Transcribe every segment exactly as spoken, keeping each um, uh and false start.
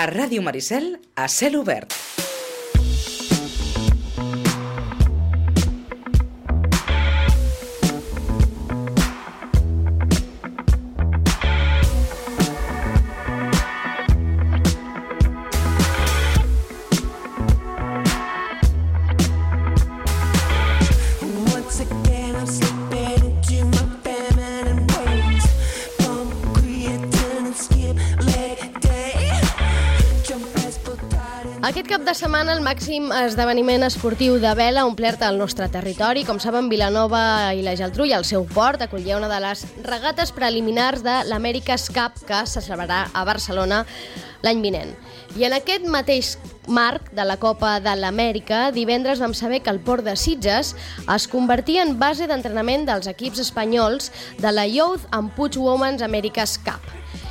A Ràdio Maricel, a cel obert. Aquest cap de setmana el màxim esdeveniment esportiu de vela ha omplert el nostre territori. Com saben, Vilanova i la Geltrú i el seu port acollia una de les regates preliminars de l'America's Cup que se celebrarà a Barcelona l'any vinent. I en aquest mateix marc de la Copa de l'Amèrica, divendres vam saber que el port de Sitges es convertia en base d'entrenament dels equips espanyols de la Youth and Puig Women's America's Cup.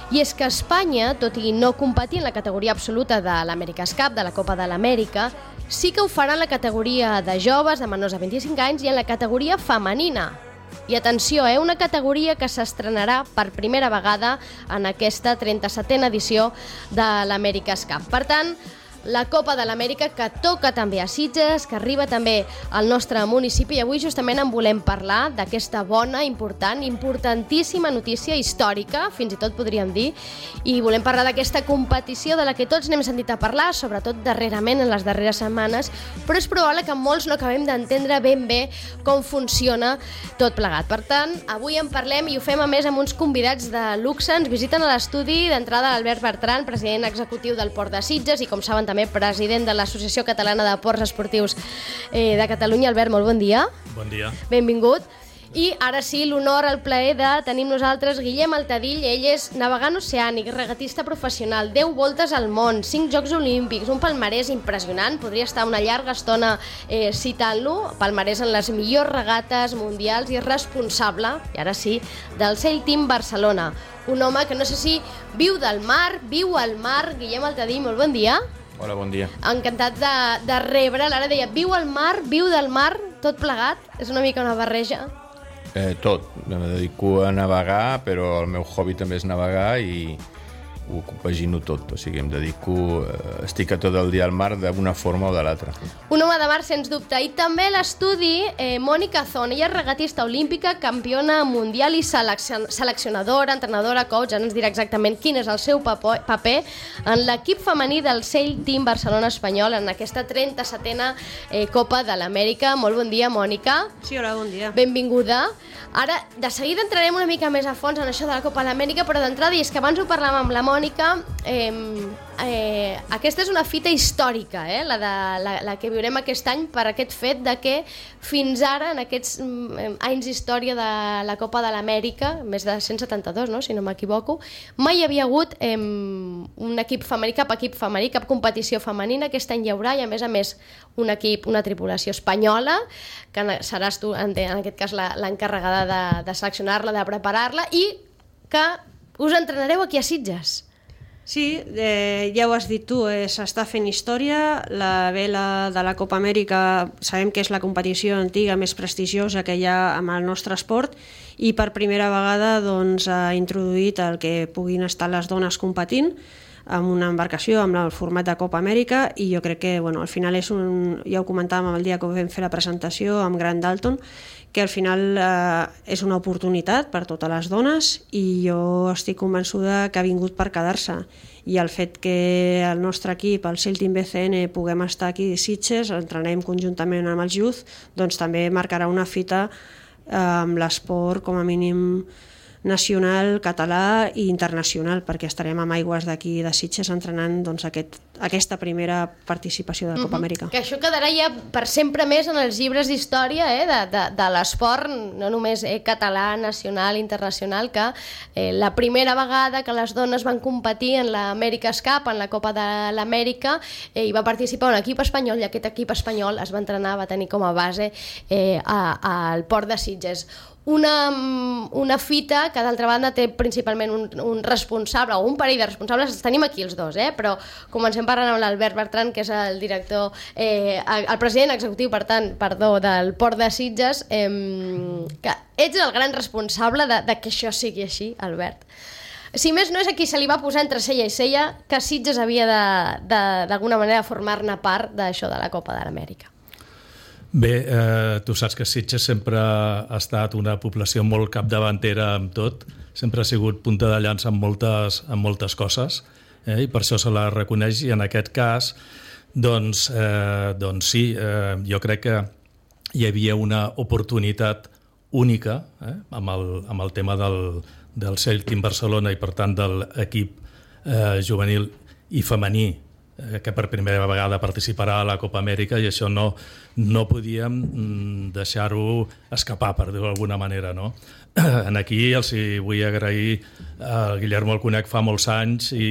I és que Espanya, tot i no competir en la categoria absoluta de l'America's Cup, de la Copa de l'Amèrica, sí que ho farà en la categoria de joves, de menors de vint-i-cinc anys, i en la categoria femenina. I atenció, eh, una categoria que s'estrenarà per primera vegada en aquesta trenta-setena edició de l'America's Cup. Per tant, la Copa de l'Amèrica que toca també a Sitges, que arriba també al nostre municipi, i avui justament en volem parlar d'aquesta bona, important, importantíssima notícia històrica, fins i tot podríem dir, i volem parlar d'aquesta competició de la que tots n'hem sentit a parlar, sobretot darrerament en les darreres setmanes, però és probable que molts no acabem d'entendre ben bé com funciona tot plegat. Per tant, avui en parlem i ho fem a més amb uns convidats de luxe. Ens visiten a l'estudi d'entrada l'Albert Bertran, president executiu del Port de Sitges i, com saben, també president de l'Associació Catalana de Ports Esportius eh, de Catalunya. Albert, molt bon dia. Bon dia. Benvingut. I ara sí, l'honor, el plaer de tenir amb nosaltres Guillem Altadill. Ell és navegant oceànic, regatista professional, deu voltes al món, cinc Jocs Olímpics, un palmarès impressionant. Podria estar una llarga estona eh, citant-lo, palmarès en les millors regates mundials, i és responsable, i ara sí, del Sail Team Barcelona. Un home que no sé si viu del mar, viu al mar. Guillem Altadill, molt bon dia. Hola, bon dia. Encantat de, de rebre. L'ara deia, viu al mar, viu del mar, tot plegat. És una mica una barreja. Eh, tot. Em dedico a navegar, però el meu hobby també és navegar i ho compagino tot. O sigui, em dedico... Eh, estic a tot el dia al mar d'una forma o de l'altra. Un home de mar, sens dubte. I també a l'estudi, eh, Mònica Zon. Ella és regatista olímpica, campiona mundial i selection seleccionadora, entrenadora, coach. Ara ens dirà exactament quin és el seu paper en l'equip femení del Sail Team Barcelona espanyol en aquesta trenta-setena eh, Copa de l'Amèrica. Molt bon dia, Mònica. Sí, hola, bon dia. Benvinguda. Ara, de seguida entrarem una mica més a fons en això de la Copa de l'Amèrica, però d'entrada, i és que abans ho parlàvem amb la Mònica, eh, eh, aquesta és una fita històrica, eh, la, de, la, la que viurem aquest any, per aquest fet de que fins ara, en aquests eh, anys d'història de la Copa de l'Amèrica, més de cent setanta-dos, no?, si no m'equivoco, mai hi havia hagut eh, un equip femení, cap equip femení, cap competició femenina. Aquest any hi haurà, i a més a més un equip, una tripulació espanyola, que seràs tu, en aquest cas, l'encarregada de, de seleccionar-la, de preparar-la, i que us entrenareu aquí a Sitges. Sí, eh, ja ho has dit tu, eh, s'està fent història. La vela de la Copa Amèrica sabem que és la competició antiga més prestigiosa que hi ha amb el nostre esport, i per primera vegada doncs, ha introduït el que puguin estar les dones competint amb una embarcació amb el format de Copa Amèrica, i jo crec que bueno, al final és un, ja ho comentàvem el dia que vam fer la presentació amb Grant Dalton, que al final eh, és una oportunitat per totes les dones, i jo estic convençuda que ha vingut per quedar-se, i el fet que el nostre equip, el Sail Team B C N, puguem estar aquí a Sitges, entrenem conjuntament amb els Youth, doncs també marcarà una fita eh, amb l'esport com a mínim nacional, català i internacional, perquè estarem amb aigües d'aquí de Sitges entrenant doncs, aquest, aquesta primera participació de la Copa Amèrica. Mm-hmm. Que això quedarà ja per sempre més en els llibres d'història eh, de, de, de l'esport, no només eh, català, nacional, internacional, que eh, la primera vegada que les dones van competir en l'America's Cup, en la Copa de l'Amèrica, eh, hi va participar un equip espanyol, i aquest equip espanyol es va entrenar, va tenir com a base eh, a, al port de Sitges. Una, una fita que d'altra banda té principalment un, un responsable o un parell de responsables. Tenim aquí els dos, eh? Però comencem parlant amb l'Albert Bertran, que és el director, eh, el president executiu, per tant, perdó, del Port de Sitges, eh, que ets el gran responsable de, de que això sigui així, Albert. si més no és a qui se li va posar entre cella i cella que Sitges havia d'alguna manera formar-ne part d'això de la Copa de l'Amèrica. Bé, eh, tu saps que Sitges sempre ha estat una població molt capdavantera amb tot, sempre ha sigut punta de llança en moltes, en moltes coses, eh, i per això se la reconeix, i en aquest cas, doncs, eh, doncs sí, eh, jo crec que hi havia una oportunitat única eh, amb, el, amb el tema del, del Celtic Barcelona i per tant de l'equip eh, juvenil i femení que per primera vegada participarà a la Copa Amèrica, i això no, no podíem deixar-ho escapar, per dir-ho d'alguna manera, no? En aquí els hi vull agrair al Guillermo, el conec fa molts anys i,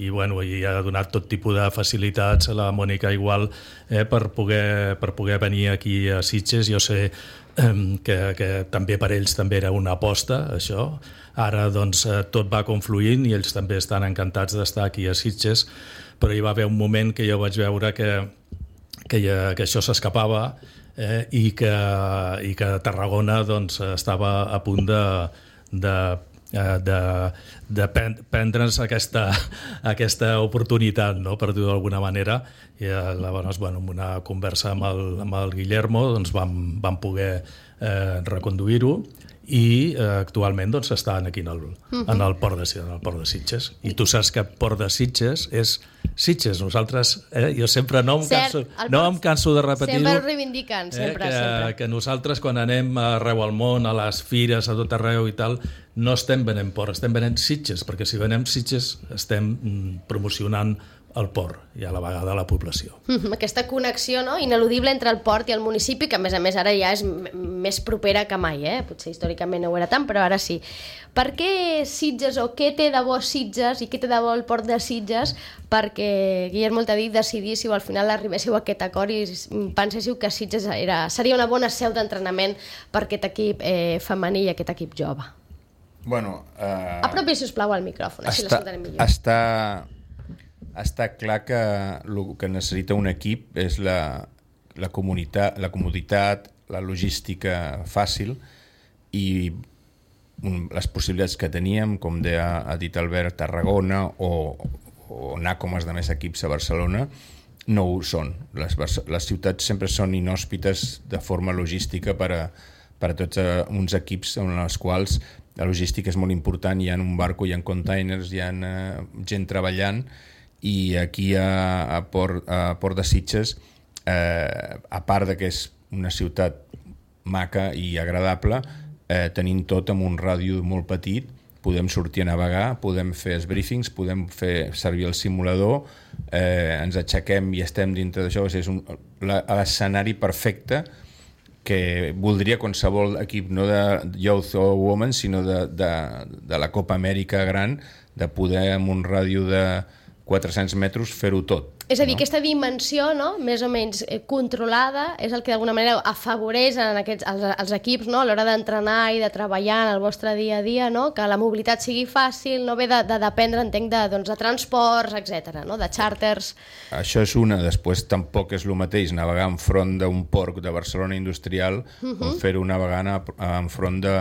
i, bueno, i ha donat tot tipus de facilitats a la Mònica igual eh, per, poder, per poder venir aquí a Sitges. Jo sé eh, que, que també per ells també era una aposta, això. Ara doncs tot va confluint i ells també estan encantats d'estar aquí a Sitges, però hi va haver un moment que jo vaig veure que, que, ja, que això s'escapava eh, i, que, i que Tarragona doncs, estava a punt de, de, de, de prendre'ns aquesta, aquesta oportunitat, no? Per dir-ho d'alguna manera. I llavors, bueno, amb una conversa amb el, amb el Guillermo doncs, vam, vam poder eh, reconduir-ho, i eh, actualment doncs, estan aquí en el, uh-huh. en, el port de, en el port de Sitges. I tu saps que Port de Sitges és Sitges. Nosaltres, eh, jo sempre no em canso, Cert, no em canso de repetir-ho. Sempre ho reivindiquen, sempre, eh, que, sempre. Que nosaltres quan anem arreu al món, a les fires, a tot arreu i tal, no estem venent Port, estem venent Sitges, perquè si venem Sitges estem mm, promocionant el port i a la vegada la població. Mm-hmm. Aquesta connexió, no?, ineludible entre el port i el municipi, que a més a més ara ja és m- més propera que mai, eh? Potser històricament no ho era tant, però ara sí. Per què Sitges, o què té de bo Sitges i què té de bo el port de Sitges perquè Guillermo t'ha dit decidíssiu, al final arribéssiu a aquest acord i penséssiu que Sitges era, seria una bona seu d'entrenament per aquest equip eh, femení i aquest equip jove? Bueno, eh... apropi, sisplau, al micròfon, així l'escoltarem millor. Està... Està clar que el que necessita un equip és la, la, comunitat, la comoditat, la logística fàcil i un, les possibilitats que teníem, com deia, ha dit Albert, Tarragona o, o anar com els altres equips a Barcelona, no ho són. Les, les ciutats sempre són inhòspites de forma logística per a, per a tots uns equips en els quals la logística és molt important. Hi ha un barco, hi ha containers, hi ha uh, gent treballant, i aquí a, a, Port, a Port de Sitges, eh, a part de que és una ciutat maca i agradable, eh, tenim tot amb un ràdio molt petit, podem sortir a navegar, podem fer els briefings, podem fer servir el simulador, eh, ens aixequem i estem dintre d'això. És un, l'escenari perfecte que voldria qualsevol equip, no de Youth o Women, sinó de, de, de la Copa Amèrica gran, de poder amb un ràdio de quatre-cents metres fer-ho tot. És a dir, no? Aquesta dimensió, no?, més o menys eh, controlada és el que d'alguna manera afavoreix en aquests, els, els equips, no?, a l'hora d'entrenar i de treballar en el vostre dia a dia, no?, que la mobilitat sigui fàcil, no ve de, de dependre, entenc, de, doncs, de transports, etcètera, no?, de xàrters. Això és una. Després tampoc és el mateix navegar enfront d'un port de Barcelona industrial uh-huh. com fer-ho navegant enfront de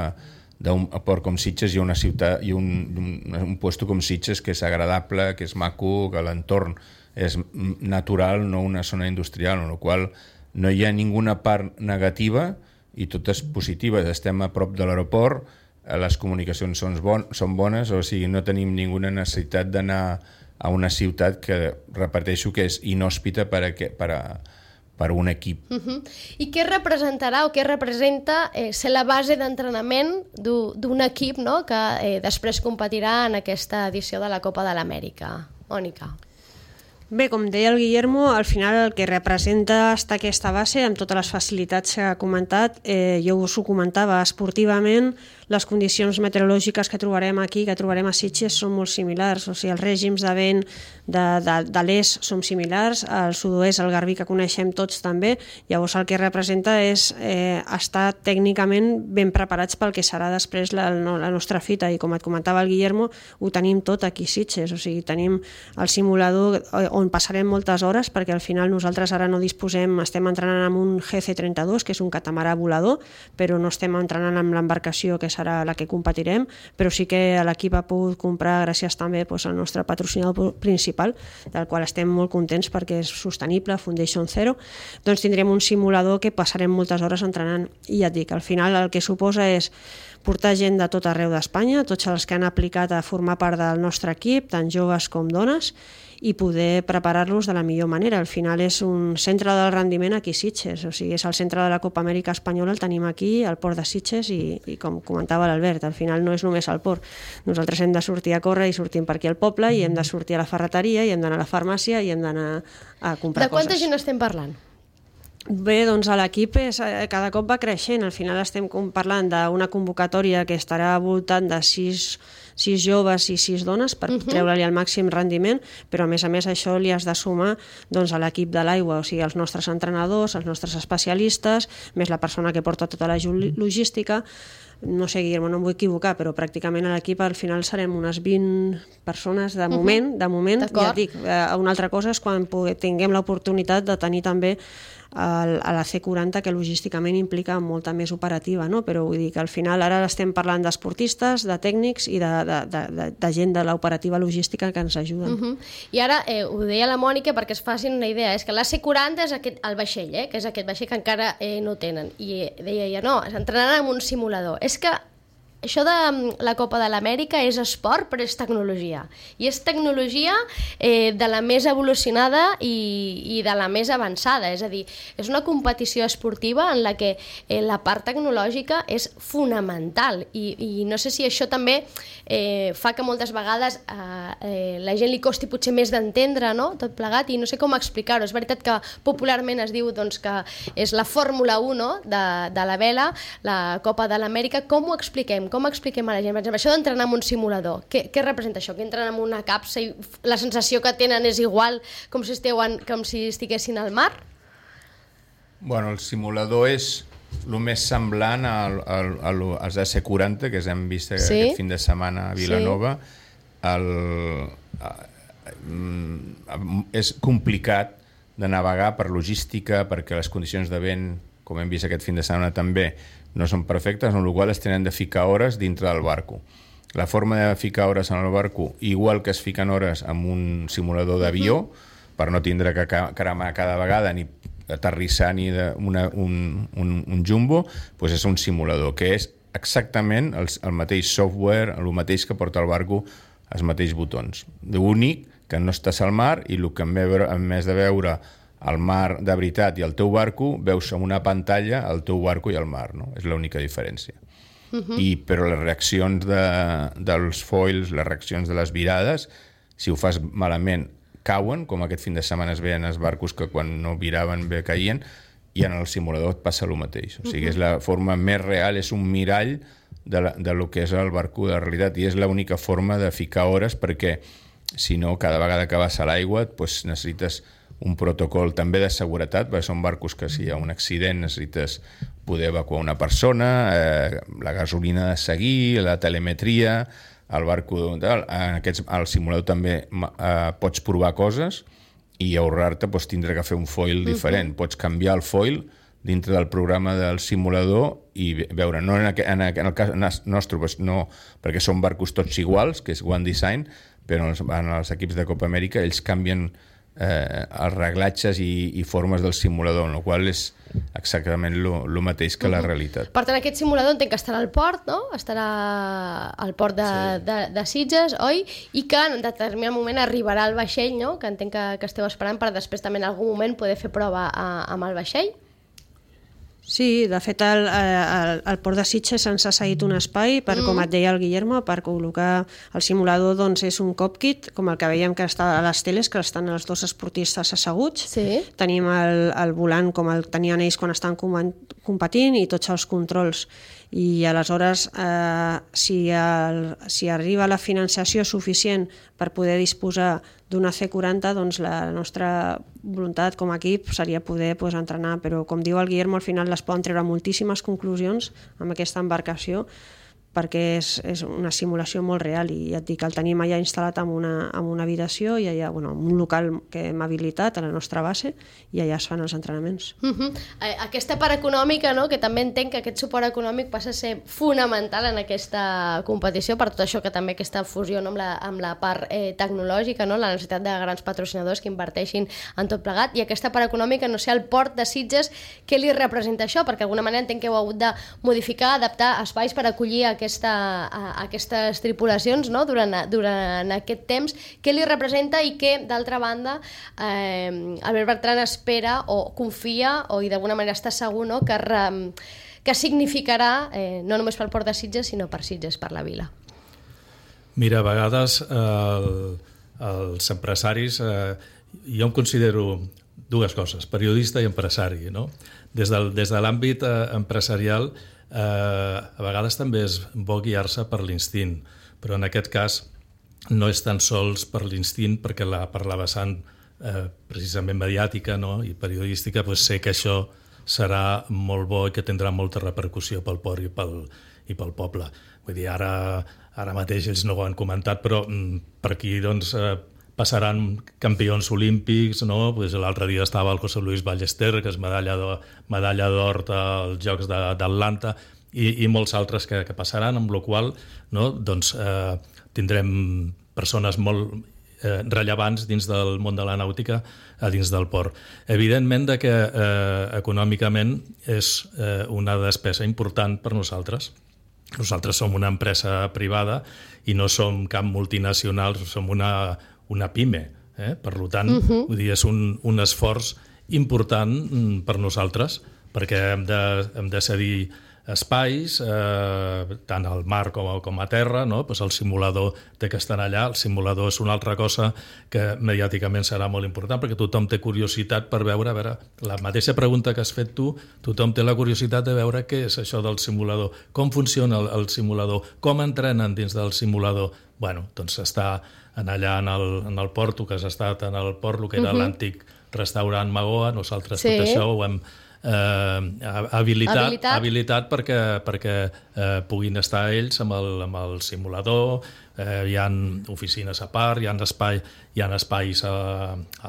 d'un port com Sitges i una ciutat i un, un, un puesto com Sitges que és agradable, que és maco, que l'entorn és natural, no una zona industrial, en la qual no hi ha ninguna part negativa i totes positives. Estem a prop de l'aeroport, les comunicacions són, bon, són bones, o sigui, no tenim ninguna necessitat d'anar a una ciutat que, repeteixo, que és inhòspita per a, per a per un equip. Uh-huh. I què representarà o què representa eh, ser la base d'entrenament d'un equip, no?, que eh, després competirà en aquesta edició de la Copa de l'Amèrica? Mònica. Bé, com deia el Guillermo, al final el que representa estar aquesta base, amb totes les facilitats que ha comentat, eh, jo us ho comentava, esportivament, les condicions meteorològiques que trobarem aquí, que trobarem a Sitges, són molt similars. O sigui, els règims de vent de, de, de l'est són similars, el sud-oest, el garbí, que coneixem tots també. Llavors el que representa és eh, estar tècnicament ben preparats pel que serà després la, la nostra fita. I com et comentava el Guillermo, ho tenim tot aquí a Sitges. O sigui, tenim el simulador on passarem moltes hores, perquè al final nosaltres ara no disposem, estem entrenant amb un G C trenta-dos, que és un catamarà volador, però no estem entrenant amb l'embarcació que serà serà la que competirem, però sí que l'equip ha pogut comprar gràcies també doncs, al nostre patrocinador principal, del qual estem molt contents perquè és sostenible, Foundation Zero. Doncs tindrem un simulador que passarem moltes hores entrenant. I ja et dic, al final el que suposa és portar gent de tot arreu d'Espanya, tots els que han aplicat a formar part del nostre equip, tant joves com dones, i poder preparar-los de la millor manera. Al final és un centre del rendiment aquí a Sitges, o sigui, és el centre de la Copa Amèrica Espanyola, el tenim aquí, al port de Sitges, i, i com comentava l'Albert, al final no és només al port. Nosaltres hem de sortir a córrer i sortim per aquí al poble, i hem de sortir a la ferreteria, i hem d'anar a la farmàcia, i hem d'anar a comprar coses. De quanta gent estem parlant? Bé, doncs l'equip cada cop va creixent. Al final estem parlant d'una convocatòria que estarà al voltant de sis, sis joves i sis dones per uh-huh. treure-li el màxim rendiment, però a més a més això li has de sumar doncs, a l'equip de l'aigua, o sigui, els nostres entrenadors, els nostres especialistes, més la persona que porta tota la logística. No sé, Guillermo, no em vull equivocar, però pràcticament a l'equip al final serem unes vint persones de moment, uh-huh. de moment, ja et dic. Una altra cosa és quan tinguem l'oportunitat de tenir també el, a la C quaranta, que logísticament implica molta més operativa, no? Però vull dir que al final ara estem parlant d'esportistes, de tècnics i de, de, de, de gent de l'operativa logística que ens ajuden. Uh-huh. I ara, eh, ho deia la Mònica perquè es facin una idea, és que la C quaranta és aquest, el vaixell, eh, que és aquest vaixell que encara eh, no tenen, i deia ja no, s'entrenaran en un simulador. És que això de la Copa de l'Amèrica és esport, però és tecnologia. I és tecnologia eh, de la més evolucionada i, i de la més avançada. És a dir, és una competició esportiva en la que eh, la part tecnològica és fonamental. I, i no sé si això també eh, fa que moltes vegades eh, eh, la gent li costi potser més d'entendre, no?, tot plegat, i no sé com explicar-ho. És veritat que popularment es diu doncs, que és la Fórmula u, no?, de, de la vela, la Copa de l'Amèrica. Com ho expliquem? Com expliquem a la gent? Per exemple, això d'entrenar en un simulador, què, què representa això? Que entren en una capsa i la sensació que tenen és igual com si, esteuen, com si estiguessin al mar? Bueno, el simulador és el més semblant al, al, al, als A C quaranta que hem vist sí? aquest fin de setmana a Vilanova. Sí. El, és complicat de navegar per logística, perquè les condicions de vent, com hem vist aquest fin de setmana també, no són perfectes, amb la qual es tenen de ficar hores dintre del barco. La forma de ficar hores en el barco, igual que es fiquen hores en un simulador d'avió, uh-huh. per no tindre que cremar cada vegada ni aterrissar ni de una, un, un, un jumbo, doncs és un simulador, que és exactament el, el mateix software, el mateix que porta el barco, els mateixos botons. L'únic que no estàs al mar i el que en, veure, en més de veure el mar de veritat i el teu barco, veus en una pantalla el teu barco i el mar, no? És l'única diferència. Uh-huh. I, però les reaccions de, dels foils, les reaccions de les virades, si ho fas malament, cauen, com aquest fin de setmana es veien els barcos que quan no viraven bé caïen, i en el simulador et passa el mateix. O sigui, és la forma més real, és un mirall de, la, de lo que és el barco de la realitat, i és l'única forma de ficar hores, perquè si no, cada vegada que vas a l'aigua doncs necessites un protocol també de seguretat, perquè són barcos que si hi ha un accident necessites poder evacuar una persona, eh, la gasolina de seguir, la telemetria, el barco... En aquests, al simulador també eh, pots provar coses i ahorrar-te doncs, tindre que fer un foil diferent. Uh-huh. Pots canviar el foil dintre del programa del simulador i veure, no en, aqu en, en el cas nostre, doncs no, perquè són barcos tots iguals, que és One Design, però en els, en els equips de Copa Amèrica ells canvien eh, els reglatges i, i formes del simulador, en el qual és exactament el mateix que la realitat. Per tant, aquest simulador entenc que estarà al port, no? Estarà al port de, sí. de, de Sitges, oi? I que en determinat moment arribarà al vaixell, no? Que entenc que, que esteu esperant per després també en algun moment poder fer prova a, amb el vaixell. Sí, de fet el, el, el port de Sitges ens ha cedit un espai per, mm. com et deia el Guillermo, per col·locar el simulador, doncs és un cockpit, com el que veiem que està a les teles, que estan els dos esportistes asseguts. Sí. Tenim el, el volant com el tenien ells quan estan competint i tots els controls. I aleshores, eh, si, el, si arriba la financiació suficient per poder disposar d'una C quaranta, doncs la nostra voluntat com a equip seria poder pues, entrenar, però com diu el Guillermo, al final les poden treure moltíssimes conclusions amb aquesta embarcació, perquè és, és una simulació molt real i ja et dic, el tenim allà instal·lat en una, en una habitació i allà, bueno, en un local que hem habilitat a la nostra base i allà es fan els entrenaments. Uh -huh. Aquesta part econòmica, no?, que també entenc que aquest suport econòmic passa a ser fonamental en aquesta competició, per tot això que també aquesta fusió, no?, amb, la, amb la part eh, tecnològica, no?, la necessitat de grans patrocinadors que inverteixin en tot plegat, i aquesta part econòmica, no sé, el port de Sitges, què li representa això? Perquè d'alguna manera entenc que heu hagut de modificar, adaptar espais per acollir aquesta, a, aquestes tripulacions, no?, durant, durant aquest temps. Què li representa i què, d'altra banda, eh, Albert Bertran espera o confia o i d'alguna manera està segur, no?, que, re, que significarà eh, no només pel port de Sitges, sinó per Sitges, per la vila? Mira, a vegades eh, els empresaris, eh, jo em considero dues coses, periodista i empresari, no? Des, del, des de l'àmbit eh, empresarial, eh, a vegades també és bo guiar-se per l'instint, però en aquest cas no és tan sols per l'instint, perquè la, per la vessant eh, precisament mediàtica, no?, i periodística, pues sé que això serà molt bo i que tindrà molta repercussió pel port i pel, i pel poble. Vull dir, ara, ara mateix ells no ho han comentat, però mm, per aquí, doncs, eh, passaran campions olímpics, no? Pues l'altre dia estava el José Luis Ballester, que és medalla d'or, medalla d'or als Jocs d'Atlanta, i, i molts altres que, que passaran, amb la qual cosa, no? Doncs, eh, tindrem persones molt eh, rellevants dins del món de la nàutica a dins del port. Evidentment de que eh, econòmicament és eh, una despesa important per nosaltres. Nosaltres som una empresa privada i no som cap multinacional, som una una pime, eh? Per tant, uh-huh. vull dir, és un, un esforç important per nosaltres, perquè hem de, hem de cedir espais, eh, tant al mar com a, com a terra, no? Pues el simulador té que estar allà, el simulador és una altra cosa que mediàticament serà molt important, perquè tothom té curiositat per veure, a veure, la mateixa pregunta que has fet tu, tothom té la curiositat de veure què és això del simulador, com funciona el, el simulador, com entrenen dins del simulador. Bueno, doncs està en allà en el, en el port, que has estat en el port, el que era uh-huh. l'antic restaurant Magoa, nosaltres sí. tot això ho hem eh, habilitat, habilitat. habilitat perquè, perquè eh, puguin estar ells amb el, amb el simulador, eh, hi ha oficines a part, hi ha, espai, hi ha espais a,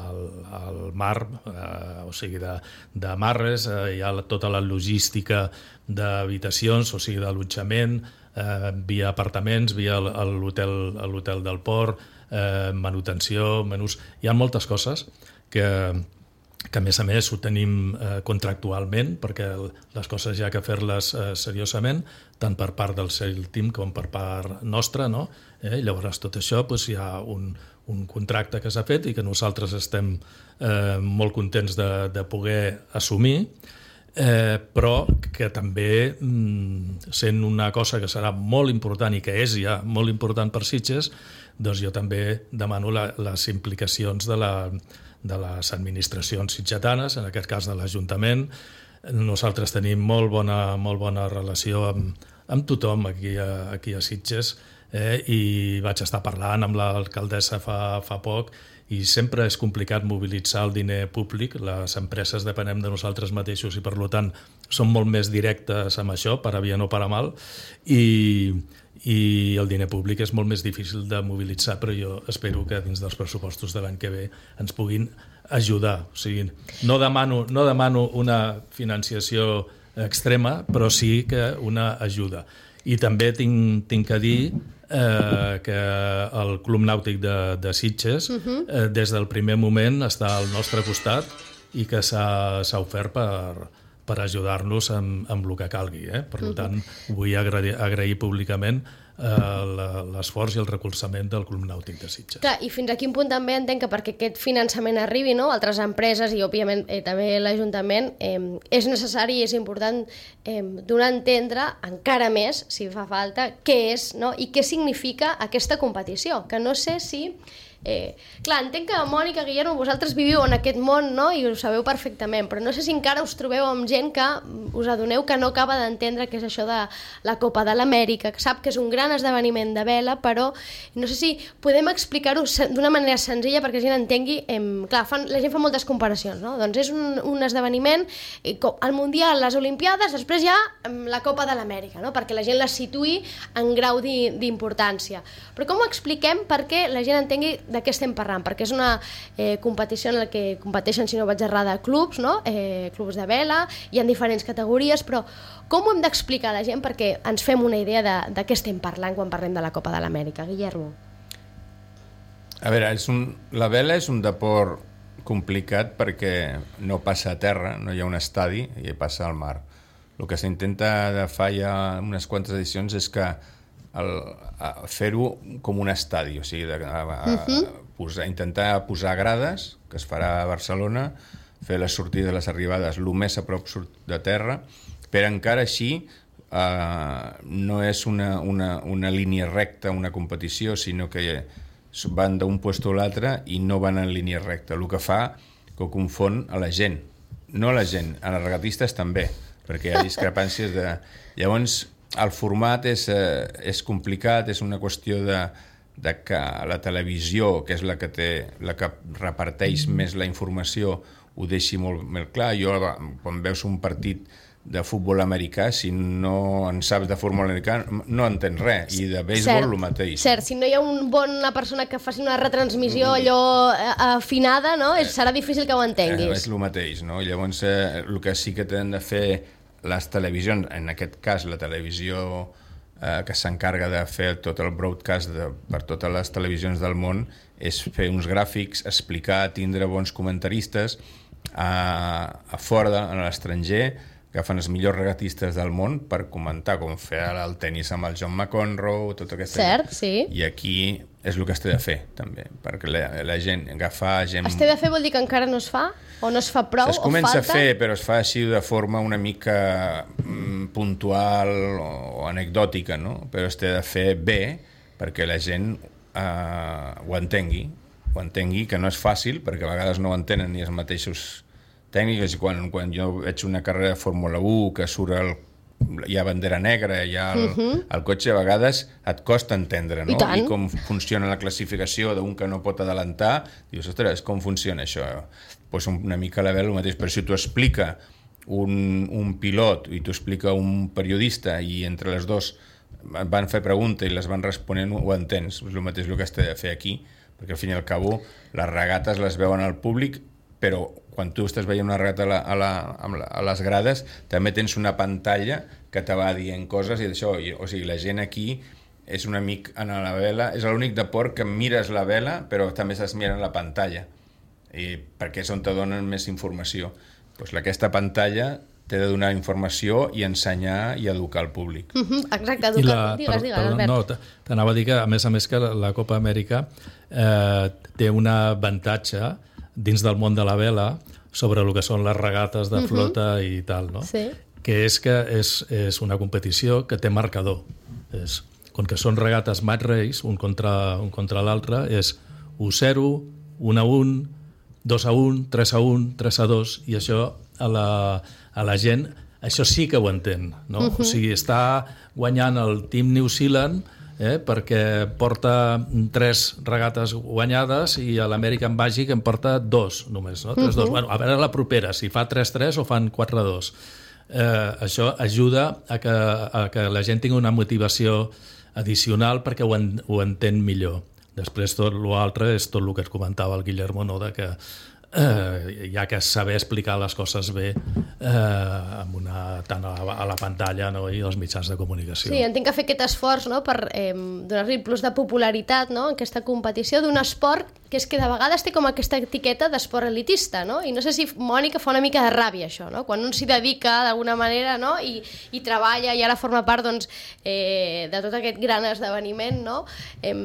al, al mar, eh, o sigui, de, de marres, eh, hi ha tota la logística d'habitacions, o sigui, d'allotjament, eh, via apartaments, via l'hotel l'hotel del port, eh, manutenció, menús... Hi ha moltes coses que, que a més a més ho tenim eh, contractualment, perquè les coses hi ha que fer-les eh, seriosament, tant per part del Sail Team com per part nostra, no? Eh? Llavors tot això doncs, hi ha un, un contracte que s'ha fet i que nosaltres estem eh, molt contents de, de poder assumir, Eh, però que també mm, sent una cosa que serà molt important i que és ja molt important per Sitges, doncs jo també demano la, les implicacions de, la, de les administracions sitgetanes, en aquest cas de l'Ajuntament. Nosaltres tenim molt bona, molt bona relació amb, amb tothom aquí a, aquí a Sitges, eh, i vaig estar parlant amb l'alcaldessa fa, fa poc, i sempre és complicat mobilitzar el diner públic, les empreses depenem de nosaltres mateixos i per tant som molt més directes amb això, per a bien o per a mal, i, i el diner públic és molt més difícil de mobilitzar, però jo espero que dins dels pressupostos de l'any que ve ens puguin ajudar. O sigui, no demano, no demano una financiació extrema, però sí que una ajuda. I també tinc, tinc que dir eh, que el Club Nàutic de, de Sitges uh-huh. eh, des del primer moment està al nostre costat i que s'ha ofert per, per ajudar-nos amb, amb el que calgui. Eh? Per uh-huh. tant, vull agrair, agrair públicament eh, l'esforç i el recolzament del Club Nàutic de Sitges. Clar, i fins a quin punt també entenc que perquè aquest finançament arribi, no? Altres empreses i, òbviament, eh, també l'Ajuntament, eh, és necessari i és important eh, donar a entendre encara més, si fa falta, què és, no? I què significa aquesta competició, que no sé si Eh, clar, entenc que, Mònica, Guillermo, vosaltres viviu en aquest món, no?, i ho sabeu perfectament, però no sé si encara us trobeu amb gent que us adoneu que no acaba d'entendre què és això de la Copa de l'Amèrica, que sap que és un gran esdeveniment de vela, però no sé si podem explicar-ho d'una manera senzilla perquè la gent entengui. Em, clar, fan, la gent fa moltes comparacions, no? Doncs és un, un esdeveniment, el Mundial, les Olimpiades, després ja la Copa de l'Amèrica, no?, perquè la gent la situï en grau d'importància. Però com ho expliquem perquè la gent entengui de què estem parlant? Perquè és una eh, competició en la que competeixen, si no vaig errada, clubs, no? eh, clubs de vela, hi ha diferents categories, però com ho hem d'explicar a la gent perquè ens fem una idea de, de què estem parlant quan parlem de la Copa de l'Amèrica? Guillermo. A veure, és un, la vela és un deport complicat perquè no passa a terra, no hi ha un estadi i passa al mar. El que s'intenta de fa ja unes quantes edicions és que fer-ho com un estadi, o sigui, de, a, a, uh-huh. posar, intentar posar grades, que es farà a Barcelona, fer les sortides i les arribades el més a prop de terra, però encara així eh, no és una, una, una línia recta, una competició, sinó que van d'un puesto a l'altre i no van en línia recta, el que fa que ho confon a la gent. No a la gent, a les regatistes també, perquè hi ha discrepàncies de... Llavors, el format és, eh, és complicat, és una qüestió de, de que la televisió, que és la que, té, la que reparteix mm. més la informació, ho deixi molt, molt clar. Jo, quan veus un partit de futbol americà, si no en saps de futbol americà, no entens res, i de béisbol el mateix. Cert, si no hi ha un bon, una persona que faci una retransmissió allò afinada, no? Eh, serà difícil que ho entenguis. Eh, és el mateix, no? Llavors, eh, el que sí que tenen de fer les televisions, en aquest cas la televisió eh, que s'encarga de fer tot el broadcast de, per totes les televisions del món, és fer uns gràfics, explicar, tindre bons comentaristes a, a fora, a l'estranger, agafen els millors regatistes del món per comentar com fer el tenis amb el John McEnroe, tot aquesta... Cert, sí. I aquí és el que es té de fer, també, perquè la, la gent, agafar gent... Es té de fer vol dir que encara no es fa? O no es fa prou? Es comença o falta? a fer, però es fa així de forma una mica mm, puntual o, o anecdòtica, no? Però es té de fer bé perquè la gent eh, ho entengui, ho entengui, que no és fàcil, perquè a vegades no ho entenen ni els mateixos tècniques, i quan, quan jo veig una carrera de Fórmula u que surt el, hi ha bandera negra, hi ha el, uh-huh. el cotxe, a vegades et costa entendre, no? I, I com funciona la classificació d'un que no pot adelantar, dius, ostres, com funciona això? Pues una mica a la vela el mateix, però si t'ho explica un, un pilot i t'ho explica un periodista i entre les dos van fer preguntes i les van responent, ho entens, és el mateix el que has de fer aquí, perquè al fin i al cabo les regates les veuen al públic, però quan tu estàs veient una regata a, la, a, la, a les grades també tens una pantalla que te va dient coses i d'això, o sigui, la gent aquí és un amic en la vela, és l'únic deport que mires la vela però també estàs mirant la pantalla, i perquè és on te donen més informació. Pues aquesta pantalla té de donar informació i ensenyar i educar el públic. Uh-huh, exacte, educar. La, digues, per, digues, per, Albert. No, t'anava a dir que, a més a més, que la, la Copa Amèrica eh, té un avantatge dins del món de la vela sobre el que són les regates de flota uh-huh. i tal, no? Sí. Que és que és, és una competició que té marcador. És, com que són regates match race, un contra, un contra l'altre, és u zero, un a un, dos a un, tres a un, tres a dos, i això a la, a la gent, això sí que ho entén, no? Uh-huh. O sigui, està guanyant el Team New Zealand eh, perquè porta tres regates guanyades i a l'American Magic en porta dos només, no? tres, uh-huh. dos. Bueno, a veure la propera, si fa tres tres o fan quatre dos. Eh, això ajuda a que, a que la gent tingui una motivació addicional perquè ho, en, ho entén millor. Després tot l'altre és tot el que es comentava el Guillermo, no? De que eh, hi ha que saber explicar les coses bé eh, amb una, tant a la, a la pantalla, no? I els mitjans de comunicació. Sí, entenc que fer aquest esforç, no? Per eh, donar-li plus de popularitat, no? En aquesta competició d'un esport que és que de vegades té com aquesta etiqueta d'esport elitista, no? I no sé si Mònica fa una mica de ràbia això, no? Quan un s'hi dedica d'alguna manera, no? I, i treballa i ara forma part, doncs, eh, de tot aquest gran esdeveniment, no? Eh,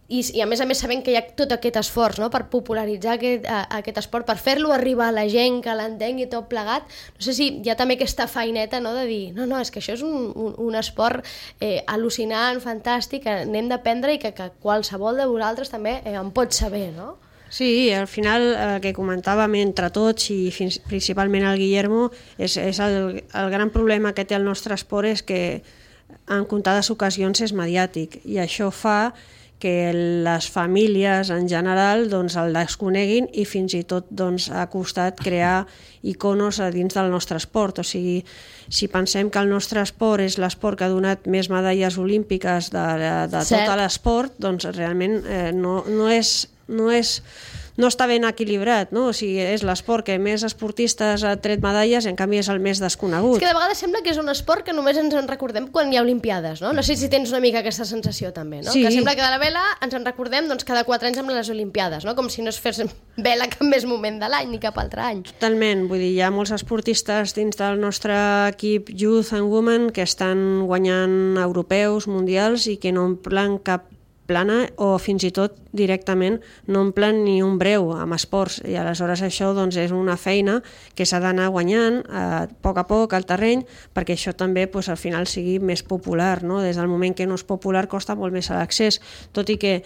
I, i a més a més sabent que hi ha tot aquest esforç, no?, per popularitzar aquest, a, aquest esport, per fer-lo arribar a la gent, que l'entengui tot plegat. No sé si hi ha també aquesta feineta, no?, de dir, no, no, és que això és un, un, un esport eh, al·lucinant, fantàstic, que n'hem d'aprendre i que, que qualsevol de vosaltres també eh, en pot saber, no? Sí, al final el que comentàvem entre tots i fins, principalment el Guillermo és, és el, el gran problema que té el nostre esport és que en comptades ocasions és mediàtic i això fa que les famílies en general doncs, el desconeguin i fins i tot doncs, ha costat crear iconos a dins del nostre esport. O sigui, si pensem que el nostre esport és l'esport que ha donat més medalles olímpiques de, de, de tot l'esport, doncs realment eh, no, no és... No és no està ben equilibrat, no? O sigui, és l'esport que més esportistes ha tret medalles i en canvi és el més desconegut. És que de vegades sembla que és un esport que només ens en recordem quan hi ha Olimpiades, no? No sé si tens una mica aquesta sensació també, no? Sí. Que sembla que de la vela ens en recordem doncs, cada quatre anys amb les Olimpiades, no? Com si no es fes vela cap més moment de l'any ni cap altre any. Totalment, vull dir, hi ha molts esportistes dins del nostre equip Youth and Women que estan guanyant europeus, mundials i que no omplen cap plana o fins i tot directament no omplen ni un breu amb esports i aleshores això doncs, és una feina que s'ha d'anar guanyant eh, a poc a poc al terreny perquè això també doncs, al final sigui més popular, no? Des del moment que no és popular costa molt més l'accés, tot i que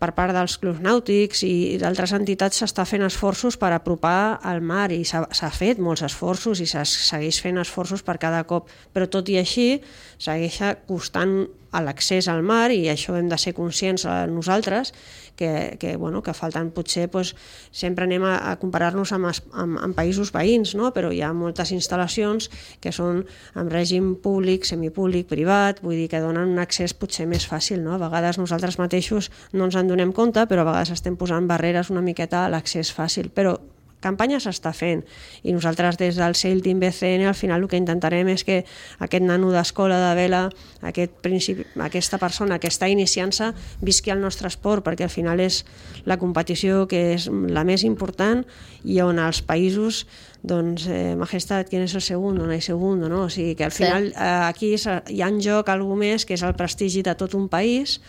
per part dels clubs nàutics i d'altres entitats s'està fent esforços per apropar al mar i s'ha fet molts esforços i se segueix fent esforços per cada cop, però tot i així segueix costant a l'accés al mar i això hem de ser conscients nosaltres que, que, bueno, que falten potser doncs, sempre anem a, a comparar-nos amb, amb, amb països veïns, no? Però hi ha moltes instal·lacions que són en règim públic, semipúblic, privat, vull dir que donen un accés potser més fàcil, no? A vegades nosaltres mateixos no ens en donem compte, però a vegades estem posant barreres una miqueta a l'accés fàcil, però campanya s'està fent i nosaltres des del Sail Team B C N al final el que intentarem és que aquest nano d'escola de vela, aquest principi, aquesta persona que està iniciant-se visqui el nostre esport perquè al final és la competició que és la més important i on els països doncs, eh, majestat, ¿quién es el segundo? No hay segundo, no? O sigui que al final sí. eh, aquí hi ha en joc alguna més que és el prestigi de tot un país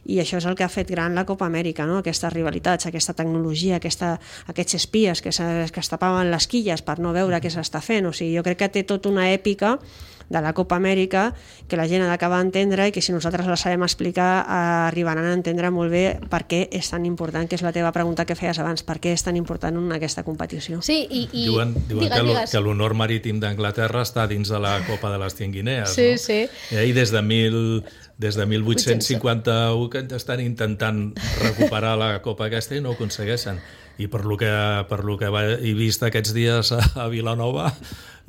i això és el que ha fet gran la Copa Amèrica, no? Aquestes rivalitats, aquesta tecnologia, aquesta, aquests espies que, que es tapaven les quilles per no veure què s'està fent. O sigui, jo crec que té tota una èpica de la Copa Amèrica que la gent ha d'acabar d'entendre i que si nosaltres la sabem explicar arribaran a entendre molt bé per què és tan important, que és la teva pregunta que feies abans, per què és tan important en aquesta competició. Sí, i... i... Diuen, diuen digues, que l'honor marítim d'Anglaterra està dins de la Copa de les Cien Guinees, sí, no? Sí. I des de mil... Des de mil vuit-cents cinquanta-u que estan intentant recuperar la Copa aquesta i no ho aconsegueixen. I per lo que, per lo que he vist aquests dies a Vilanova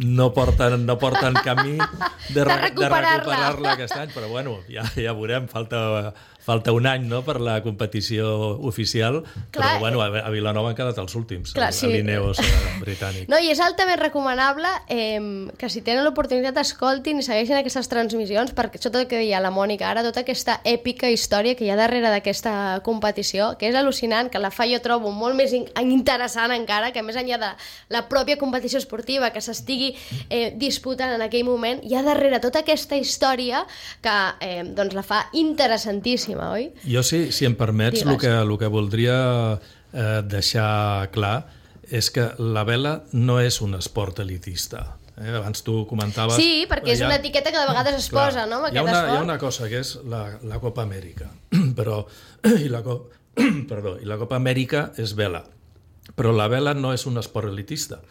no porten, no porten camí de, de recuperar-la recuperar-la aquest any, però bueno, ja, ja veurem, falta, falta un any, no?, per la competició oficial. Clar, però bueno, a Vilanova han quedat els últims, clar, sí. A l'Ineos britànic. No, i és altament recomanable eh, que si tenen l'oportunitat escoltin i segueixin aquestes transmissions, perquè això tot el que deia la Mònica ara, tota aquesta èpica història que hi ha darrere d'aquesta competició, que és al·lucinant, que la fa jo trobo molt més interessant encara, que més enllà de la pròpia competició esportiva que s'estigui eh, disputant en aquell moment, hi ha darrere tota aquesta història que eh, doncs la fa interessantíssima, oi? Jo, sí, si em permets, el que, el que voldria eh, deixar clar és que la vela no és un esport elitista. Eh? Abans tu comentaves... Sí, perquè és ha, una etiqueta que de vegades es clar, posa, no? Hi ha, una, hi ha una cosa que és la, la Copa Amèrica, però i la, perdó, i la Copa Amèrica és vela, però la vela no és un esport elitista.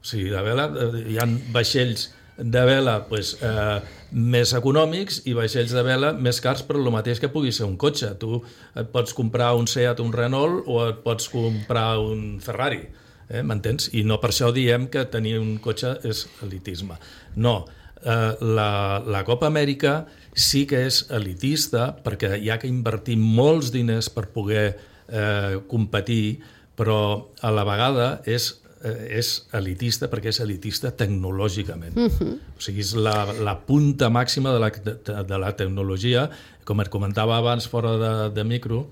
O sigui, la vela, hi ha vaixells de vela pues, eh, més econòmics i vaixells de vela més cars per el mateix que pugui ser un cotxe. Tu et pots comprar un Seat, un Renault o et pots comprar un Ferrari, eh, m'entens? I no per això diem que tenir un cotxe és elitisme. No, eh, la, la Copa Amèrica sí que és elitista perquè hi ha que invertir molts diners per poder eh, competir, però a la vegada és, eh, és elitista perquè és elitista tecnològicament. Uh-huh. O sigui, és la, la punta màxima de la, de, de la tecnologia. Com et comentava abans fora de, de micro,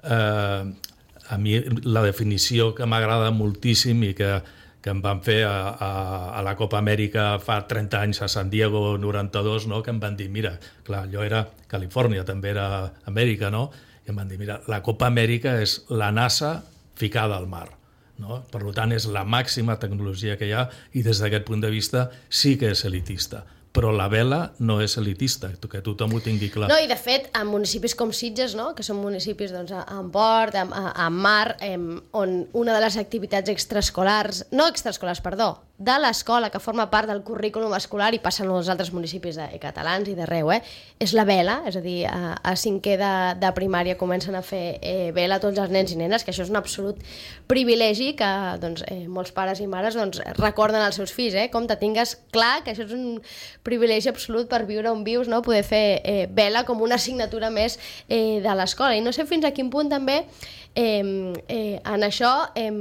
eh, a mi la definició que m'agrada moltíssim i que, que em van fer a, a, a la Copa Amèrica fa trenta anys a San Diego noranta-dos, no? Que em van dir, mira, clar, allò era Califòrnia, també era Amèrica, no? i em van dir, mira, la Copa Amèrica és la NASA ficada al mar. No? Per tant, és la màxima tecnologia que hi ha i des d'aquest punt de vista sí que és elitista. Però la vela no és elitista, que tothom ho tingui clar. No, i de fet, en municipis com Sitges, no? Que són municipis doncs, en port, en, en mar, en, on una de les activitats extraescolars, no extraescolars, perdó, de l'escola, que forma part del currículum escolar i passen als altres municipis de, catalans i d'arreu, eh? És la vela, és a dir, a, a cinquè de, de primària comencen a fer eh, vela tots els nens i nenes, que això és un absolut privilegi que doncs, eh, molts pares i mares doncs, recorden als seus fills, eh? Com te tingues clar que això és un privilegi absolut per viure on vius, no? Poder fer eh, vela com una assignatura més eh, de l'escola. I no sé fins a quin punt també eh, eh, en això eh,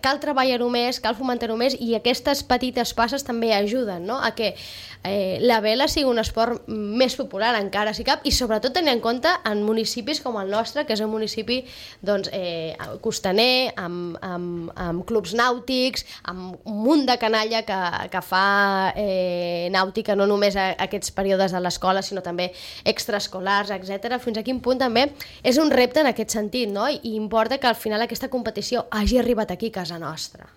cal treballar-ho més, cal fomentar-ho més i aquestes petites passes també ajuden, no? A que eh, la vela sigui un esport més popular encara si cap i sobretot tenir en compte en municipis com el nostre, que és un municipi doncs, eh, costaner, amb, amb, amb clubs nàutics, amb un munt de canalla que, que fa eh, nàutica no només a, a aquests períodes de l'escola sinó també extraescolars, etcètera. Fins a quin punt també és un repte en aquest sentit, no? I importa que al final aquesta competició hagi arribat aquí, a casa nostra.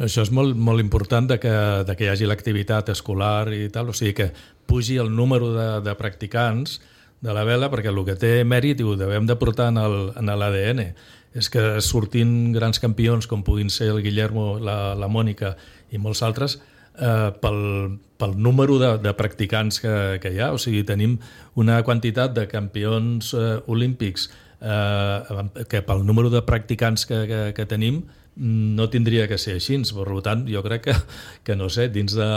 Això és molt, molt important de que, de que hi hagi l'activitat escolar i tal, o sigui que pugi el número de, de practicants de la vela, perquè el que té mèrit i ho devem de portar en l'A D N és que sortint grans campions com puguin ser el Guillermo, la, la Mònica i molts altres, eh, pel, pel número de, de practicants que, que hi ha, o sigui, tenim una quantitat de campions eh, olímpics eh, que pel número de practicants que, que, que tenim no tindria que ser així. Per tant, jo crec que, que no sé, dins de,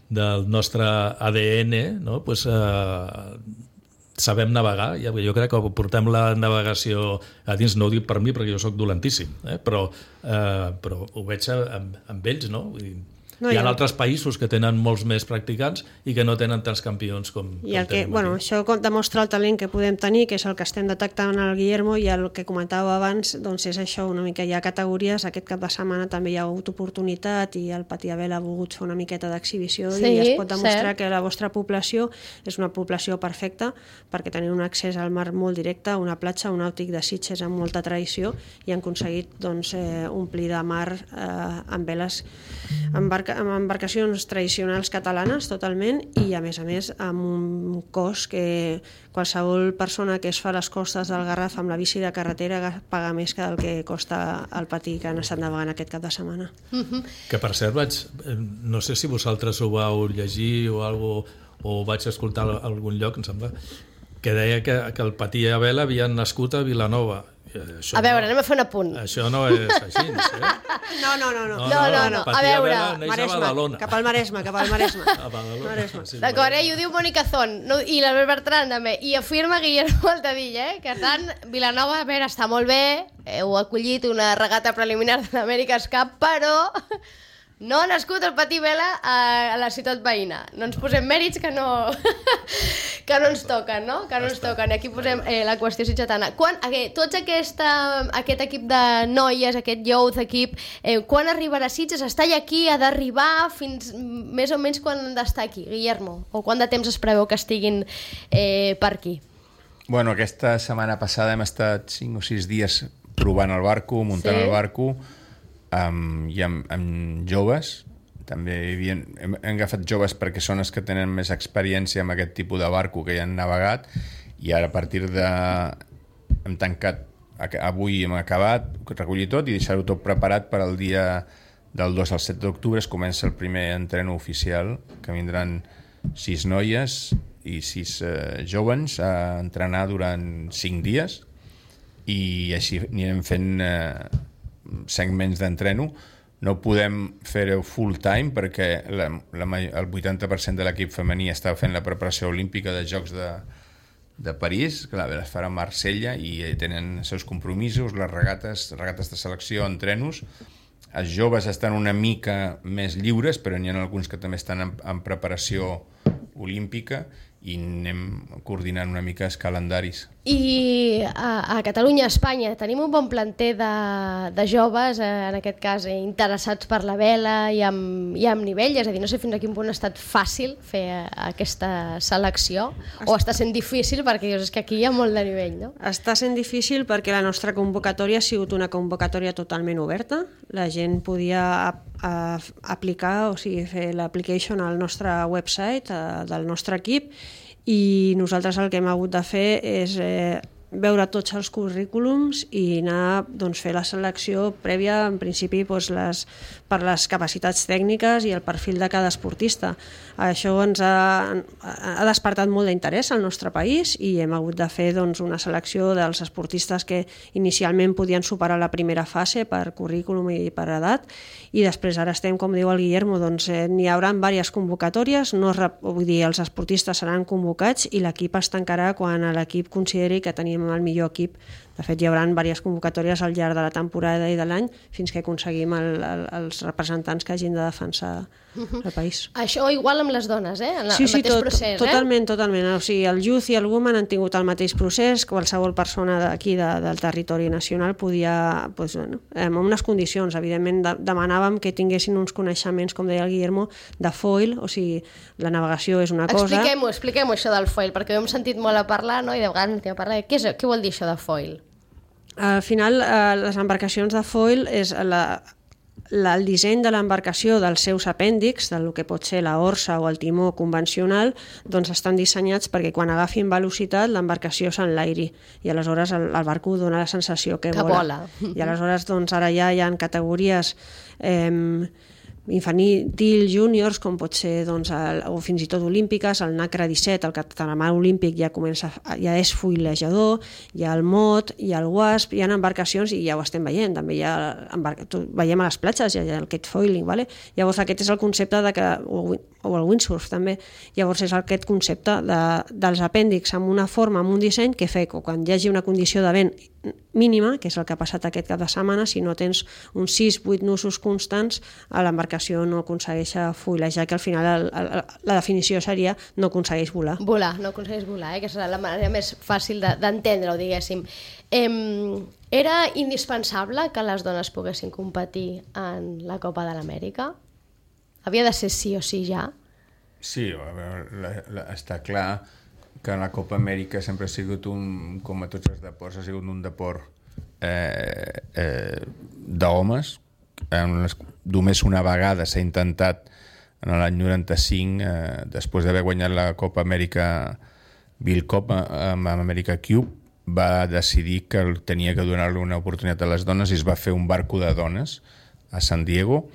del nostre A D N, no? Pues, eh, sabem navegar. Jo crec que portem la navegació a dins, no ho dic per mi perquè jo sóc dolentíssim, eh? però, eh, però ho veig amb, amb ells, no? Vull dir, no, hi ha altres països que tenen molts més practicants i que no tenen tants campions com, I el com que, tenim bueno, aquí. això demostra el talent que podem tenir, que és el que estem detectant al Guillermo, i el que comentàveu abans doncs és això, una mica hi ha categories. Aquest cap de setmana també hi ha hagut oportunitat i el Patí Abel ha volgut fer una miqueta d'exhibició sí, i es pot demostrar cert. que la vostra població és una població perfecta perquè tenen un accés al mar molt directe, una platja, un nàutic de Sitges amb molta tradició i han aconseguit doncs, eh, omplir de mar eh, amb veles embarca, amb embarcacions tradicionals catalanes totalment i a més a més amb un cost que qualsevol persona que es fa a les costes del Garraf amb la bici de carretera paga més que el que costa el patí que han estat navegant aquest cap de setmana. Mm-hmm. Que per cert vaig, no sé si vosaltres ho vau llegir o algo, o vaig escoltar a algun lloc, em sembla, que deia que, que el Patí Abel havia nascut a Vilanova. Això a veure, no, anem a fer un apunt. Això no és així, eh? No, no, no. No, no, no, no, no. Patí A veure, Abel neix a Maresme, Badalona. cap al Maresme, cap al Maresme. A Badalona. Maresme. Sí, D'acord, eh? I ho diu Mònica Zon, no? I l'Albert Bertran també, i afirma Guillermo Altadilla, eh? Que tant, Vilanova, a veure, està molt bé, heu acollit una regata preliminar de l'America's Cup, però no ha nascut el Patí Vela a la ciutat veïna. No ens posem mèrits que no, que no ens toquen, no? Que no ens toquen. I aquí posem eh, la qüestió sitgetana. Quan, eh, tots aquesta, aquest equip de noies, aquest youth equip, eh, quan arribarà a Sitges? Està ja aquí, ha d'arribar fins més o menys quan han d'estar aquí, Guillermo? O quant de temps es preveu que estiguin eh, per aquí? Bueno, aquesta setmana passada hem estat cinc o sis dies provant el barco, muntant Sí. el barco, Um, i amb, amb joves també hi havia, hem, hem agafat joves perquè són els que tenen més experiència amb aquest tipus de barco que ja han navegat i ara a partir de hem tancat, avui hem acabat recollir tot i deixar-ho tot preparat per al dia del dos al set d'octubre es comença el primer entreno oficial que vindran sis noies i sis eh, joves a entrenar durant cinc dies i així anirem fent eh, segments d'entreno. No podem fer-ho full time perquè la, la, el vuitanta per cent de l'equip femení està fent la preparació olímpica de Jocs de, de París, que es farà a Marsella i tenen els seus compromisos, les regates, regates de selecció, entrenos. Els joves estan una mica més lliures, però n'hi ha alguns que també estan en, en preparació olímpica i anem coordinant una mica els calendaris. I a, a Catalunya, a Espanya, tenim un bon planter de, de joves, eh, en aquest cas eh, interessats per la vela i amb, i amb nivell, és a dir, no sé fins a quin punt ha estat fàcil fer eh, aquesta selecció o està sent difícil perquè dius, és que aquí hi ha molt de nivell, no? Està sent difícil perquè la nostra convocatòria ha sigut una convocatòria totalment oberta, la gent podia a, a, aplicar, o sigui, fer l'application al nostre website a, del nostre equip, i nosaltres el que hem hagut de fer és eh, veure tots els currículums i anar doncs, fer la selecció prèvia, en principi doncs, les, per les capacitats tècniques i el perfil de cada esportista. Això ens ha, ha despertat molt d'interès al nostre país i hem hagut de fer doncs, una selecció dels esportistes que inicialment podien superar la primera fase per currículum i per edat, i després ara estem, com diu el Guillermo, doncs, eh, n'hi haurà diverses convocatòries, no, vull dir, els esportistes seran convocats i l'equip es tancarà quan l'equip consideri que tenim el millor equip. De fet, hi haurà diverses convocatòries al llarg de la temporada i de l'any fins que aconseguim el, el, els representants que hagin de defensar el país. Això igual amb les dones, eh? En la, sí, sí, el mateix tot, procés, totalment, eh? totalment. O sigui, el Youth i el Women han tingut el mateix procés, qualsevol persona d'aquí de, del territori nacional podia, doncs, bueno, amb unes condicions, evidentment de, demanàvem que tinguessin uns coneixements, com deia el Guillermo, de foil, o sigui, la navegació és una cosa... Expliquem-ho, expliquem-ho això del foil, perquè ho hem sentit molt a parlar, no? I de vegades sentim a parlar de què, és, què vol dir això de foil? Al final, eh, les embarcacions de foil és la, la, el disseny de l'embarcació dels seus apèndixs, del que pot ser la orsa o el timó convencional, doncs estan dissenyats perquè quan agafin velocitat l'embarcació s'enlairi i aleshores el, el barco dona la sensació que, que vola. vola. I aleshores doncs, ara ja hi ha categories... Eh, infantil, júniors, com pot ser doncs, el, o fins i tot olímpiques, el NACRA disset, el catamarà olímpic ja comença, ja és foilejador, hi ha el mot, hi ha el wasp, hi ha embarcacions i ja ho estem veient, també hi ha embarca, veiem a les platges, hi ha aquest foiling, vale? Llavors aquest és el concepte de que, o, o el windsurf també, llavors és aquest concepte de, dels apèndixs amb una forma, amb un disseny que fa que quan hi hagi una condició de vent mínima, que és el que ha passat aquest cap de setmana, si no tens uns sis vuit nusos constants, a l'embarcació no aconsegueix foilejar, que al final el, el, la definició seria no aconsegueix volar. Volar, no aconsegueix volar, eh? Que serà la manera més fàcil d'entendre-ho, de, diguéssim. Eh, era indispensable que les dones poguessin competir en la Copa de l'Amèrica? Havia de ser sí o sí ja? Sí, a veure, la, la, està clar que la Copa Amèrica sempre ha sigut un, com a tots els deports, ha sigut un deport eh, eh, d'homes. Només una vegada s'ha intentat en l'any noranta-cinc, eh, després d'haver guanyat la Copa Amèrica Bill Cop amb America Cube, va decidir que tenia que donar-li una oportunitat a les dones i es va fer un barco de dones a San Diego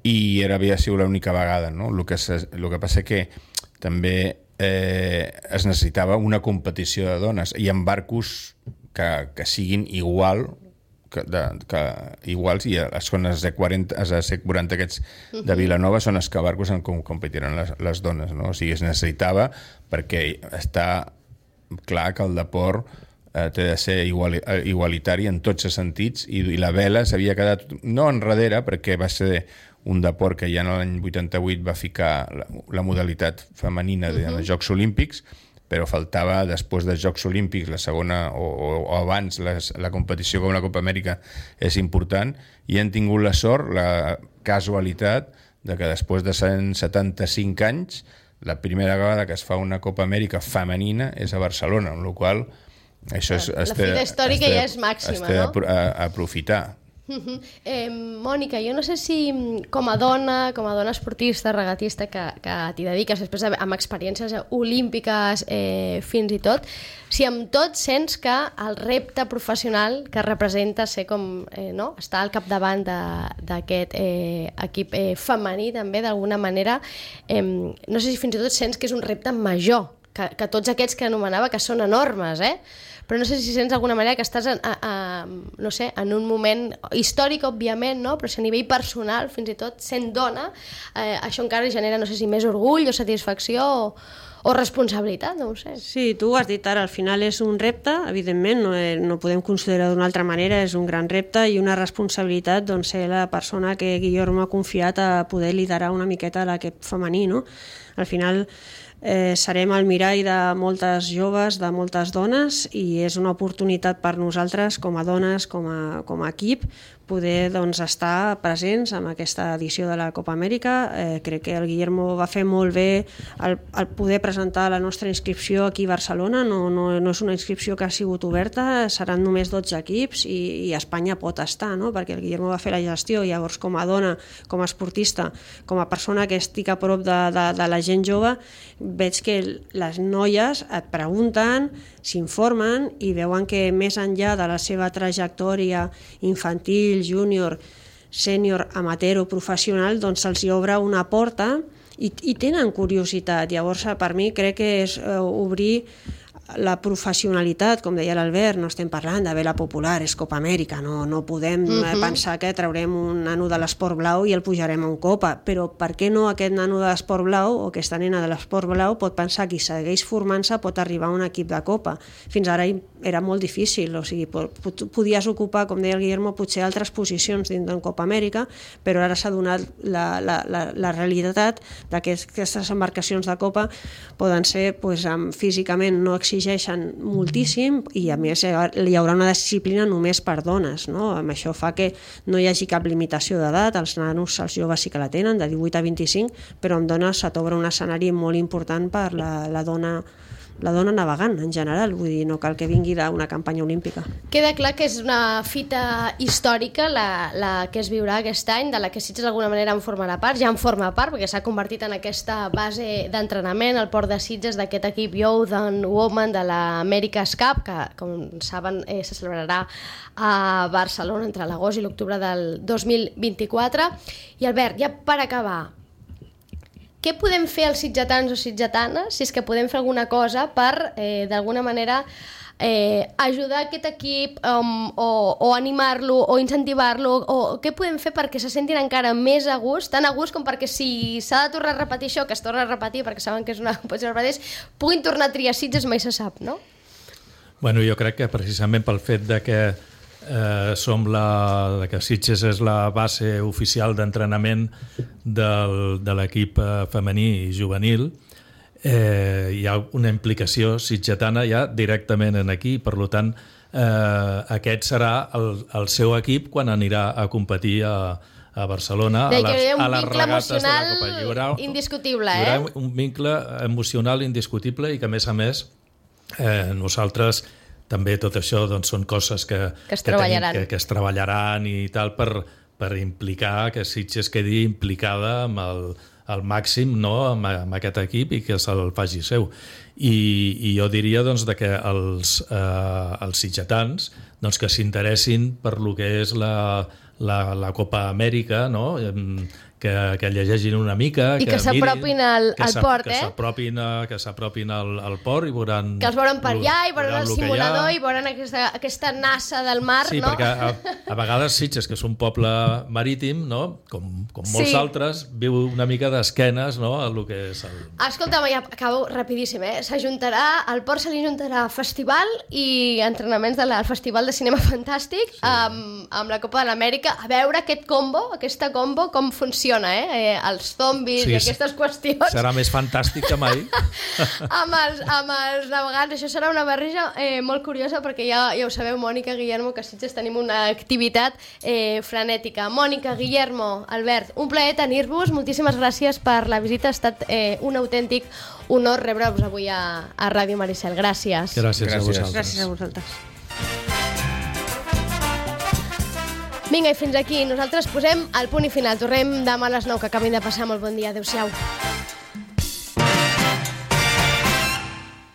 i era, havia sigut l'única vegada, no? El que, el que passa que també eh, es necessitava una competició de dones i en barcos que, que siguin igual que, de, que iguals, i les zones de quaranta, les de C quaranta aquests de Vilanova són els que barcos en com competiran les, les dones, no? O sigui, es necessitava perquè està clar que el deport eh, té de ser igual, igualitari en tots els sentits i, i la vela s'havia quedat no enrere perquè va ser un deport que ja en l'any vuitanta-vuit va ficar la, la modalitat femenina de, uh-huh. dels Jocs Olímpics, però faltava després dels Jocs Olímpics la segona o, o, o abans les, la competició com la Copa Amèrica és important i han tingut la sort, la casualitat de que després de cent setanta-cinc anys la primera vegada que es fa una Copa Amèrica femenina és a Barcelona, amb la qual això és, la es té, fita històrica es té, ja és màxima, es té no? a, a aprofitar. Uh-huh. eh, Mònica, jo no sé si com a dona, com a dona esportista, regatista que, que t'hi dediques després de, amb experiències olímpiques eh, fins i tot, si amb tot sents que el repte professional que representa ser com, eh, no? estar al capdavant d'aquest eh, equip eh, femení també d'alguna manera, eh, no sé si fins i tot sents que és un repte major que, que tots aquests que anomenava que són enormes, eh? Però no sé si sents d'alguna manera que estàs a, a, a, no sé, en un moment històric, òbviament, no? Però si a nivell personal, fins i tot sent dona, eh, això encara genera, no sé si més orgull o satisfacció o, o responsabilitat, no ho sé. Sí, tu ho has dit ara, al final és un repte, evidentment, no, no podem considerar d'una altra manera, és un gran repte i una responsabilitat, doncs, ser la persona que Guillermo ha confiat a poder liderar una miqueta l'equip femení, no? Al final, eh, serem el mirall de moltes joves, de moltes dones, i és una oportunitat per nosaltres com a dones, com a, com a equip, poder doncs, estar presents en aquesta edició de la Copa Amèrica. Eh, crec que el Guillermo va fer molt bé el, el poder presentar la nostra inscripció aquí a Barcelona. No, no, no és una inscripció que ha sigut oberta, seran només dotze equips i, i Espanya pot estar, no? Perquè el Guillermo va fer la gestió. Llavors, com a dona, com a esportista, com a persona que estic a prop de, de, de la gent jove, veig que les noies et pregunten, s'informen i veuen que més enllà de la seva trajectòria infantil, júnior, sènior, amateur o professional, doncs se'ls hi obre una porta i, i tenen curiositat. Llavors, per mi, crec que és eh, obrir la professionalitat, com deia l'Albert, no estem parlant de vela popular, és Copa Amèrica, no, no podem uh-huh. pensar que traurem un nano de l'esport blau i el pujarem a un Copa, però per què no aquest nano de l'esport blau o aquesta nena de l'esport blau pot pensar que si segueix formant-se pot arribar a un equip de Copa? Fins ara era molt difícil, o sigui, podies ocupar, com deia el Guillermo, potser altres posicions dins d'en Copa Amèrica, però ara s'ha donat la, la, la, la realitat de que aquestes embarcacions de Copa poden ser, pues, físicament no exigents, exigeixen moltíssim i a més hi haurà una disciplina només per dones, no? Amb això fa que no hi hagi cap limitació d'edat, els nanos, els joves sí que la tenen, de divuit a vint-i-cinc, però amb dones se t'obre un escenari molt important per la, la dona la dona navegant en general, vull dir, no cal que vingui d'una campanya olímpica. Queda clar que és una fita històrica la, la que es viurà aquest any, de la que Sitges d'alguna manera en formarà part, ja en forma part, perquè s'ha convertit en aquesta base d'entrenament, el port de Sitges d'aquest equip Youth and Women de l'America's Cup, que, com saben, eh, se celebrarà a Barcelona entre l'agost i l'octubre del dos mil vint-i-quatre. I Albert, ja per acabar, què podem fer els sitgetans o sitgetanes, si és que podem fer alguna cosa per, eh, d'alguna manera, eh, ajudar aquest equip um, o, o animar-lo o incentivar-lo? O què podem fer perquè se sentin encara més a gust, tan a gust com perquè si s'ha de tornar a repetir això, que es torna a repetir perquè saben que és una competició que es repeteix, puguin tornar a triar Sitges, mai se sap, no? Bueno, jo crec que precisament pel fet de que Eh, som la, que Sitges és la base oficial d'entrenament del, de l'equip femení i juvenil, eh, hi ha una implicació sitgetana ja directament en aquí, per tant eh, aquest serà el, el seu equip quan anirà a competir a, a Barcelona, de a les, a les regates de la Copa. Hi haurà, indiscutible, hi haurà eh? un vincle emocional indiscutible i que a més a més eh, nosaltres també tot això doncs, són coses que, que, es que, treballaran. tenim, que, que es treballaran i tal per, per implicar que Sitges quedi implicada amb el, el màxim, no, amb, amb aquest equip i que se'l faci seu. I, i jo diria doncs, de que els, eh, els sitgetans doncs, que s'interessin per lo que és la, la, la Copa Amèrica, no? Que, que llegeixin una mica, i que, que s'apropin al, que al port, que eh? S'apropin a, que s'apropin al, al port i veuran... Que els veuran per allà i veuran el simulador i veuran aquesta, aquesta nassa del mar, sí, no? Sí, perquè a, a vegades Sitges, que és un poble marítim, no? com, com molts sí. altres, viu una mica d'esquenes, no? A lo que és el... Escolta'm, ja acabo rapidíssim, eh? S'ajuntarà, al port se li ajuntarà festival i entrenaments del Festival de Cinema Fantàstic, sí. amb, amb la Copa de l'Amèrica, a veure aquest combo, aquesta combo, com funciona, eh? eh els zombis sí, i aquestes qüestions. Serà més fantàstic que mai. amb, els, amb els navegants, això serà una barreja eh, molt curiosa, perquè ja, ja ho sabeu, Mònica, Guillermo, que a Sitges tenim una activitat eh, frenètica. Mònica, Guillermo, Albert, un plaer tenir-vos, moltíssimes gràcies per la visita, ha estat eh, un autèntic honor rebre-vos avui a, a Ràdio Maricel. Gràcies. Gràcies, gràcies a vosaltres. Gràcies a vosaltres. Vinga, i fins aquí. Nosaltres posem el punt i final. Tornem demà a les nou, que acabin de passar. Molt bon dia. Adéu-siau.